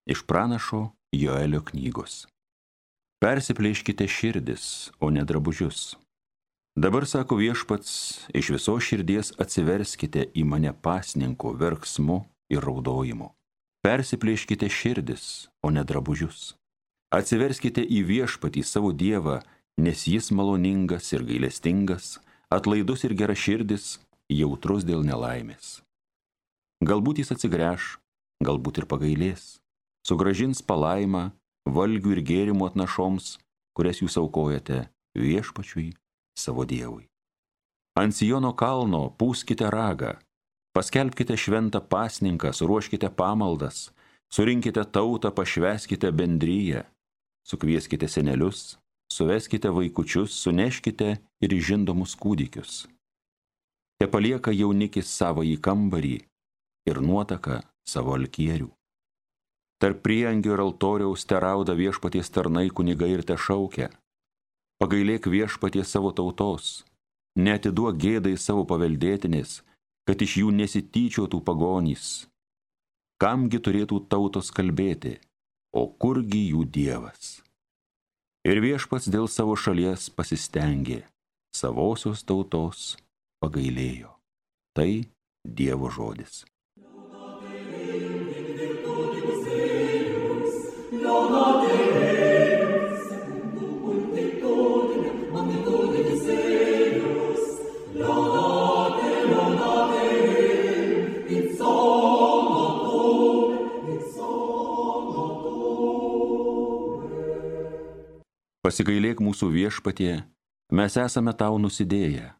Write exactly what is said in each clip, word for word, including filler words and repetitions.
Iš pranašo Joelio knygos. Persiplėškite širdis, o ne drabužius. Dabar, sako Viešpats, iš visos širdies atsiverskite į mane pasninko verksmu ir raudojimu. Persiplėškite širdis, o ne drabužius. Atsiverskite į Viešpatį savo Dievą, nes jis maloningas ir gailestingas, atlaidus ir geraširdis, jautrus dėl nelaimės. Galbūt jis atsigręš, galbūt ir pagailės, sugražins palaimą, valgių ir gėrimų atnašoms, kurias jūs aukojate Viešpačiui, savo Dievui. Ant Siono kalno pūskite ragą, paskelbkite šventą pasninką, suruoškite pamaldas, surinkite tautą, pašvęskite bendryją, sukvieskite senelius, suveskite vaikučius, suneškite ir žindomus kūdikius. Te palieka jaunikis savąjį kambarį ir nuotaka savo alkierių. Tarp priengio ir altoriaus terauda Viešpaties tarnai kunigai ir te šaukia: pagailėk Viešpaties savo tautos, neatiduok gėdai savo paveldėtinės, kad iš jų nesityčiotų pagonys. Kamgi turėtų tautos kalbėti, o kurgi jų Dievas? Ir Viešpats dėl savo šalies pasistengė, savosios tautos pagailėjo. Tai Dievo žodis. Pasigailėk mūsų Viešpatie, mes esame tau nusidėję.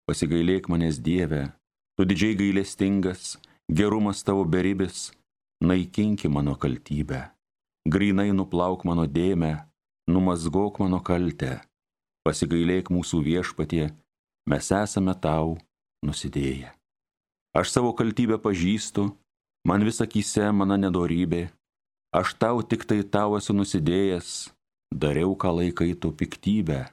Pasigailėk manęs Dieve, tu didžiai gailestingas, gerumas tavo beribis, naikinki mano kaltybę. Grynai nuplauk mano dėmę, numazgok mano kaltę. Pasigailėk mūsų Viešpatie, mes esame tau nusidėję. Aš savo kaltybę pažįstu, man vis akyse mano nedorybė. Aš tau tik tai tau esu nusidėjęs, dariau ką laikai tu piktybę.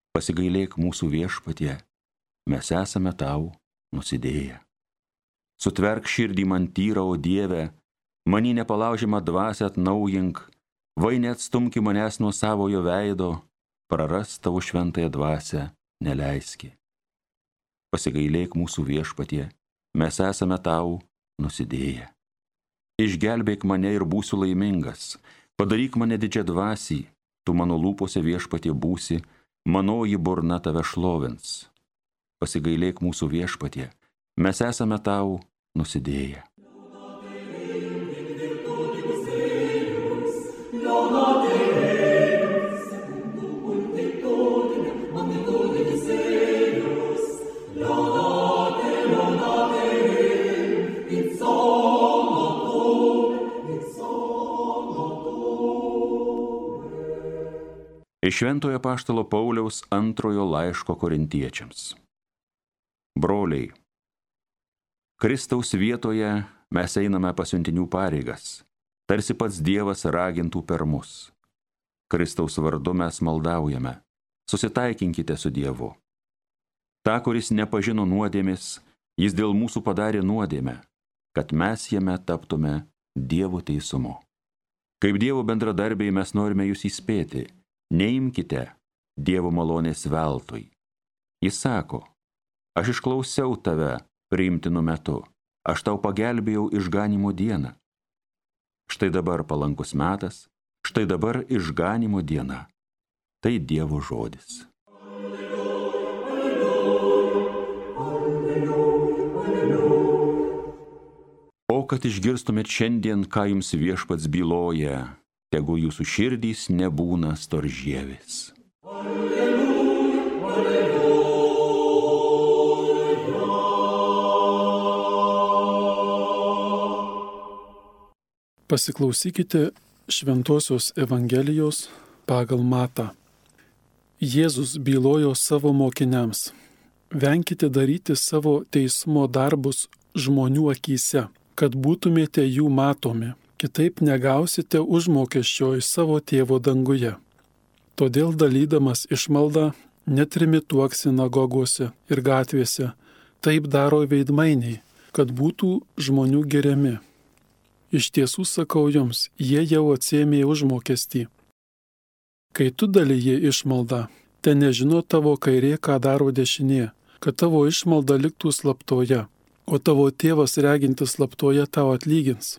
Pasigailėk mūsų Viešpatie, mes esame tau nusidėję. Sutverk širdį man tyrą, o Dieve, manį nepalaužiamą dvasią atnaujink, vai neatstumki manęs nuo savojo veido, prarast tavo šventąją dvasią neleiski. Pasigailėk mūsų Viešpatie, mes esame tau nusidėję. Išgelbėk mane ir būsiu laimingas, padaryk mane didžią dvasį, tu mano lūpose Viešpatie būsi, manoji burna tave šlovins. Pasigailėk mūsų Viešpatie, mes esame tau nusidėję. Iš Šventojo apaštalo Pauliaus antrojo laiško korintiečiams. Broliai, Kristaus vietoje mes einame pasiuntinių pareigas, tarsi pats Dievas ragintų per mus. Kristaus vardu mes maldaujame, susitaikinkite su Dievu. Ta, kuris nepažino nuodėmės, jis dėl mūsų padarė nuodėmę, kad mes jame taptume Dievo teisumu. Kaip Dievo bendradarbiai mes norime jūs įspėti, neimkite Dievo malonės veltui. Jis sako: aš išklausiau tave priimtinu metu, aš tau pagelbėjau išganimo dieną. Štai dabar palankus metas, štai dabar išganimo diena. Tai Dievo žodis. O kad išgirstumėt šiandien, ką jums Viešpats byloja, tegu jūsų širdys nebūna storžievis. Pasiklausykite Šventosios Evangelijos pagal Matą. Jėzus bylojo savo mokiniams: venkite daryti savo teismo darbus žmonių akyse, kad būtumėte jų matomi, kitaip negausite užmokesčio iš savo tėvo danguje. Todėl dalydamas išmaldą netrimituok sinagogose ir gatvėse, taip daro veidmainiai, kad būtų žmonių giriami. Iš tiesų sakau jums, jie jau atsiėmė užmokestį. Kai tu dalyji išmaldą, te nežino tavo kairė, ką daro dešinė, kad tavo išmalda liktų slaptoje, o tavo tėvas regintis slaptoje tau atlygins.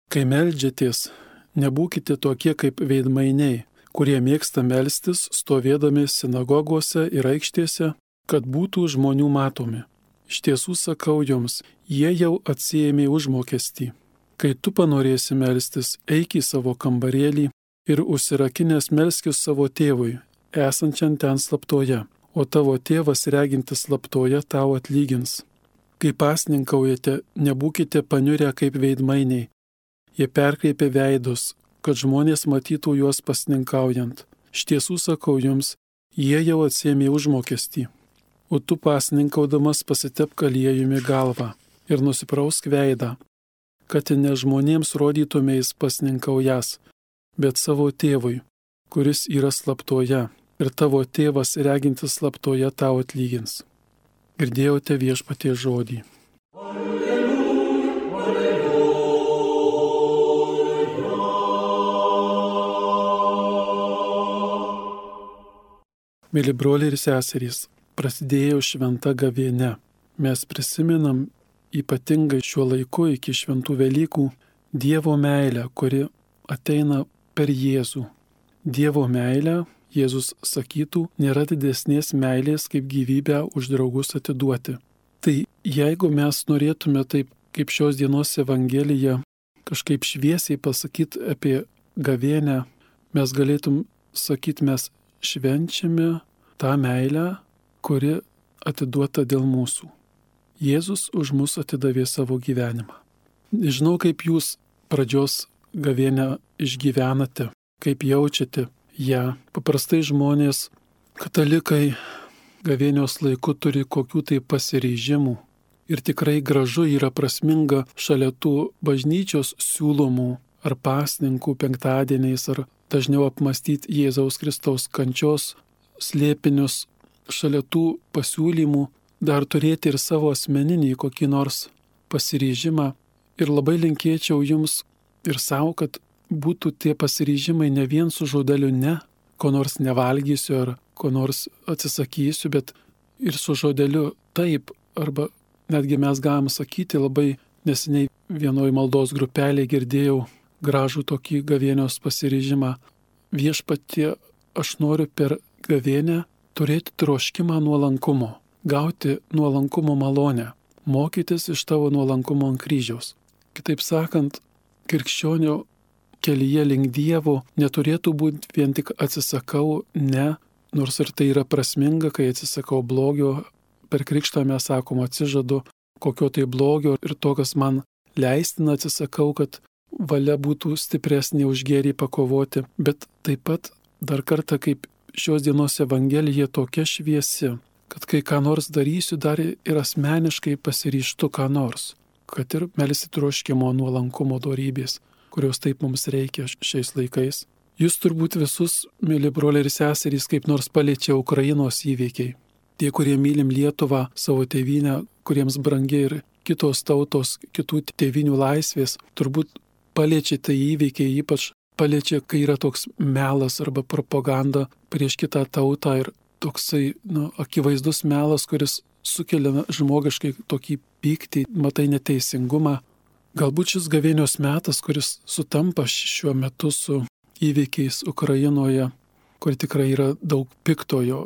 Kai meldžiatės, nebūkite tokie kaip veidmainiai, kurie mėgsta melstis stovėdami sinagogose ir aikštėse, kad būtų žmonių matomi. Iš tiesų sakau jums, jie jau atsiėmė užmokestį. Kai tu panorėsi melstis, eik į savo kambarėlį ir užsirakinęs melskis savo tėvui, esančiam ten slaptoje, o tavo tėvas regintis slaptoje tau atlygins. Kai pasninkaujate, nebūkite paniurę kaip veidmainiai. Jie perkreipia veidus, kad žmonės matytų juos pasninkaujant. Iš tiesų sakau jums, jie jau atsiėmė užmokestį. O tu pasninkaudamas pasitepk aliejumi galvą ir nusiprausk veidą, kad ne žmonėms rodytumės pasninkaujas, bet savo tėvui, kuris yra slaptoje, ir tavo tėvas regintis slaptoje tau atlygins. Girdėjote Viešpaties žodį. Mėly broliai ir seserys, prasidėjo šventa gavėnia. Mes prisimenam ypatingai šiuo laiku iki šventų Velykų Dievo meilę, kuri ateina per Jėzų. Dievo meilę, Jėzus sakytų, nėra didesnės meilės kaip gyvybę už draugus atiduoti. Tai jeigu mes norėtume taip, kaip šios dienos Evangelija, kažkaip šviesiai pasakyti apie gavėnią, mes galėtum sakyti, mes švenčiame tą meilę, kuri atiduota dėl mūsų. Jėzus už mus atidavė savo gyvenimą. Nežinau, kaip jūs pradžios gavėnią išgyvenate, kaip jaučiate ją. Paprastai žmonės, katalikai, gavėnios laiku turi kokių tai pasiryžimų. Ir tikrai gražu yra prasminga šalia tų bažnyčios siūlomų ar pasninkų penktadieniais ar dažniau apmastyti Jėzaus Kristaus kančios slėpinius, šalia tų pasiūlymų dar turėti ir savo asmeninį kokį nors pasiryžimą. Ir labai linkėčiau jums ir savo, kad būtų tie pasiryžimai ne vien su žodeliu ne, ko nors nevalgysiu ar ko nors atsisakysiu, bet ir su žodeliu taip, arba netgi mes galim sakyti, labai neseniai vienoj maldos grupelėje girdėjau gražų tokį gavėnios pasiryžimą. Viešpatie, aš noriu per gavėnę turėti troškimą nuolankumo, gauti nuolankumo malonę, mokytis iš tavo nuolankumo ant kryžiaus. Kitaip sakant, krikščionio kelyje link Dievo neturėtų būti vien tik atsisakau ne, nors ir tai yra prasminga, kai atsisakau blogio, per krikštą mes sakom atsižadu kokio tai blogio ir to, kas man leistina, atsisakau, kad valia būtų stipresnė už gėrį pakovoti, bet taip pat dar kartą kaip šios dienos Evangelija tokia šviesi, kad kai ką nors darysiu, dar ir asmeniškai pasiryžtu ką nors, kad ir melsi troškimo nuolankumo dorybės, kurios taip mums reikia šiais laikais. Jūs turbūt visus, mėly broliai ir seserys, kaip nors paliečia Ukrainos įvykiai. Tie, kurie mylim Lietuvą, savo tėvynę, kuriems brangi ir kitos tautos, kitų tėvinių laisvės, turbūt paliečia tai įvykiai, ypač paliečia, kai yra toks melas arba propaganda prieš kitą tautą ir toksai nu, akivaizdus melas, kuris sukelia žmogiškai tokį pyktį, matai neteisingumą. Galbūt šis gavėnios metas, kuris sutampa šiuo metu su įvykiais Ukrainoje, kur tikrai yra daug piktojo,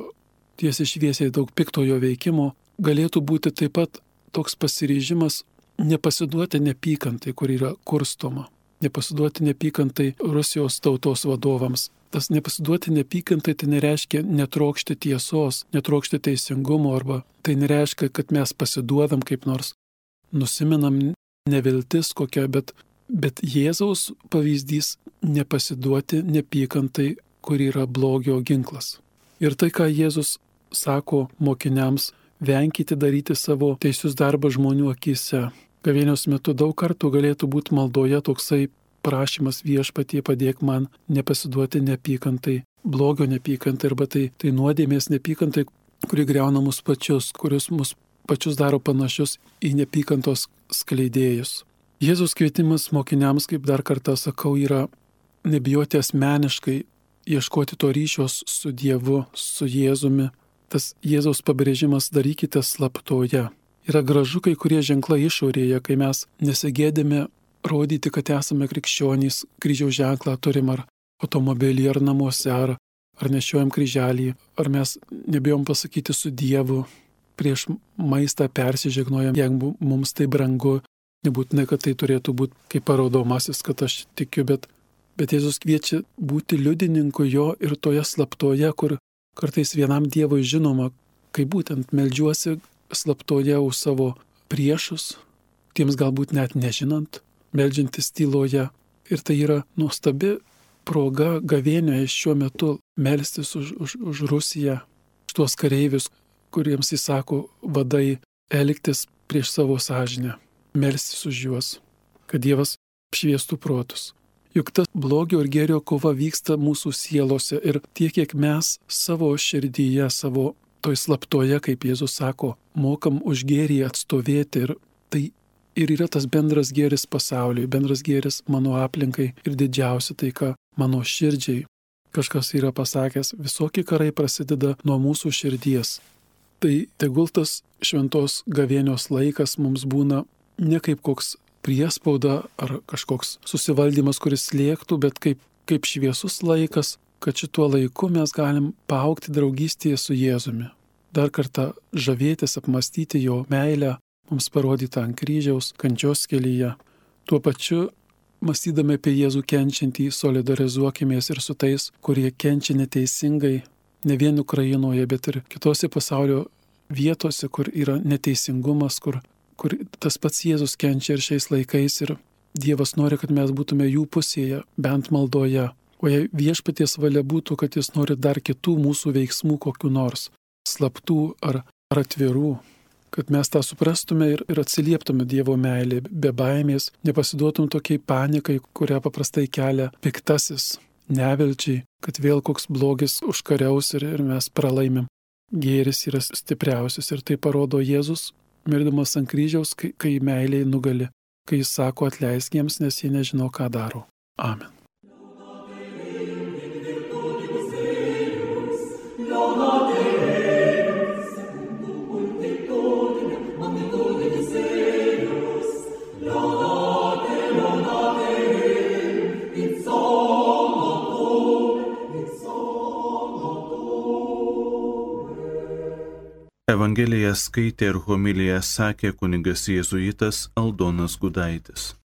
tiesiai šviesiai daug piktojo veikimo, galėtų būti taip pat toks pasiryžimas nepasiduoti neapykantai, kur yra kurstoma. Nepasiduoti neapykantai Rusijos tautos vadovams. Tas nepasiduoti neapykantai tai nereiškia netrokšti tiesos, netrokšti teisingumo, arba tai nereiškia, kad mes pasiduodam kaip nors, nusiminam neviltis kokia, bet, bet Jėzaus pavyzdys nepasiduoti neapykantai, kur yra blogio ginklas. Ir tai, ką Jėzus sako mokiniams, venkite daryti savo teisius darbą žmonių akise. Gavėnios metu daug kartų galėtų būti maldoje toksai prašymas Viešpatie padėk man nepasiduoti neapykantai, blogio neapykantai, arba tai, tai nuodėmės neapykantai, kuri greuna mus pačius, kurios mus pačius daro panašius į neapykantos skleidėjus. Jėzaus kvietimas mokiniams, kaip dar kartą sakau, yra nebijoti asmeniškai ieškoti to ryšios su Dievu, su Jėzumi. Tas Jėzaus pabrėžimas darykite slaptoje. Yra gražu kai kurie ženklai išorėje, kai mes nesigėdėme rodyti, kad esame krikščionys, kryžiaus ženklą turim ar automobilį, ar namuose, ar, ar nešiojam kryželį, ar mes nebijom pasakyti su Dievu, prieš maistą persižegnojam, jeigu mums tai brangu. Nebūtinai, kad tai turėtų būti kaip parodomasis, kad aš tikiu, bet, bet Jėzus kviečia būti liudininku jo ir toje slaptoje, kur kartais vienam Dievui žinoma, kai būtent meldžiuosi slaptoje už savo priešus, tiems galbūt net nežinant, meldžiantis tyloje. Ir tai yra nuostabi proga gavėnioje šiuo metu melstis už, už, už Rusiją, už tuos kareivius, kuriems įsako vadai elgtis prieš savo sąžinę. Melstis už juos, kad Dievas apšviestų protus. Juk ta blogio ir gėrio kova vyksta mūsų sielose ir tiek, kiek mes savo širdyje, savo toj slaptoje, kaip Jėzus sako, mokam už gėrį atstovėti ir tai ir yra tas bendras gėris pasauliui, bendras gėris mano aplinkai ir didžiausia taika mano širdžiai. Kažkas yra pasakęs, visokie karai prasideda nuo mūsų širdies. Tai tegul tas šventos gavėnios laikas mums būna ne kaip koks priespauda ar kažkoks susivaldymas, kuris slėgtų, bet kaip, kaip šviesus laikas, kad šituo laiku mes galim paaugti draugystėje su Jėzumi. Dar kartą žavėtis, apmastyti jo meilę, mums parodytą ant kryžiaus, kančios kelyje. Tuo pačiu, mąstydami apie Jėzų kenčiantį, solidarizuokimės ir su tais, kurie kenčia neteisingai, ne vien Ukrainoje, bet ir kitose pasaulio vietose, kur yra neteisingumas, kur kur tas pats Jėzus kenčia ir šiais laikais ir Dievas nori, kad mes būtume jų pusėje, bent maldoje. O jei viešpaties valia būtų, kad jis nori dar kitų mūsų veiksmų kokiu nors, slaptų ar, ar atvirų, kad mes tą suprastume ir, ir atsilieptume Dievo meilį, be baimės, nepasiduotum tokiai panikai, kurią paprastai kelia piktasis, nevilčiai, kad vėl koks blogis užkariaus ir, ir mes pralaimim. Gėris yra stipriausias ir tai parodo Jėzus, mirdamas ant kryžiaus, kai, kai meiliai nugali, kai jis sako atleisk jiems, nes jie nežino, ką daro. Amen. Evangeliją skaitė ir homiliją sakė kunigas jėzuitas Aldonas Gudaitis.